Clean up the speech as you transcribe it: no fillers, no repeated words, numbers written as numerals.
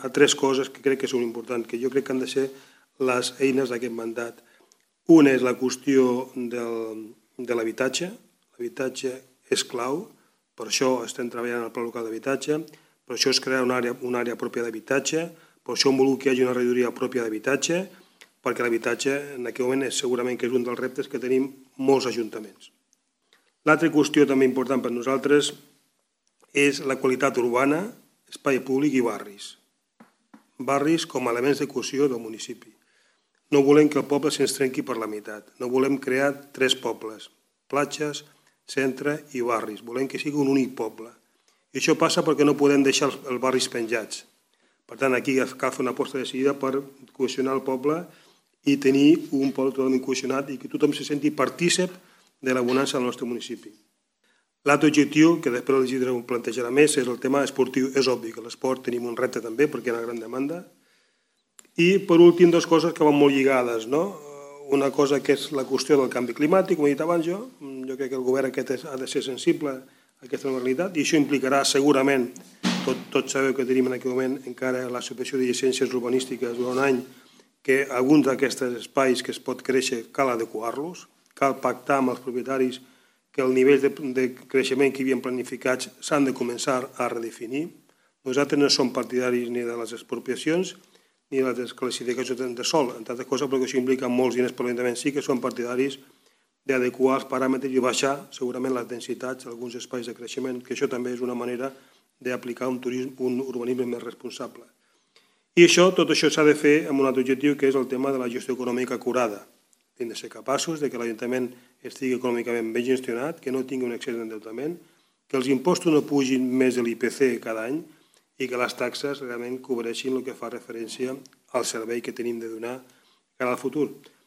a tres coses que crec que són importants, que jo crec que han de ser les eines d'aquest mandat. Una és la qüestió de l'habitatge. L'habitatge és clau, per això estem treballant al Pla Local d'Habitatge, per això es crea una àrea pròpia d'habitatge, per això hem volgut que hi hagi una regidoria pròpia d'habitatge, perquè l'habitatge en aquest moment segurament que és un dels reptes que tenim molts ajuntaments. L'altra qüestió també important per nosaltres és la qualitat urbana, espai públic i barris. Barris com a elements de cohesió del municipi. No volem que el poble se'ns trenqui per la meitat. No volem crear tres pobles, platges, centre i barris. Volem que sigui un únic poble. I això passa perquè no podem deixar els barris penjats. Per tant, aquí cal fer una aposta decidida per cohesionar el poble i tenir un poble totalment cohesionat i que tothom se senti partícip de la bonança del nostre municipi. L'altre objectiu, que després el plantejarà més, és el tema esportiu. És obvi que l'esport tenim un repte també perquè hi ha una gran demanda. I, per últim, dues coses que van molt lligades. Una cosa que és la qüestió del canvi climàtic, com he dit abans jo crec que el govern aquest ha de ser sensible a aquesta nova realitat i això implicarà segurament, tots sabeu que tenim en aquest moment encara la subvenció de llicències urbanístiques durant un any, que alguns d'aquests espais que es pot créixer cal adequar-los, cal pactar amb els propietaris que el nivell de creixement que hi havien planificats s'han de començar a redefinir. Nosaltres no som partidaris ni de les expropiacions ni de la desclassificació de sòl, entre altres coses perquè això implica molts diners per l'Ajuntament. Sí que som partidaris d'adequar els paràmetres i baixar segurament les densitats d'alguns espais de creixement, que això també és una manera d'aplicar un urbanisme més responsable. I tot això s'ha de fer amb un altre objectiu, que és el tema de la gestió econòmica acurada. Hem de ser capaços que l'Ajuntament estigui econòmicament ben gestionat, que no tingui un excés d'endeutament, que els impostos no pugin més de l'IPC cada any i que les taxes realment cobreixin el que fa referència al servei que tenim de donar cara al futur.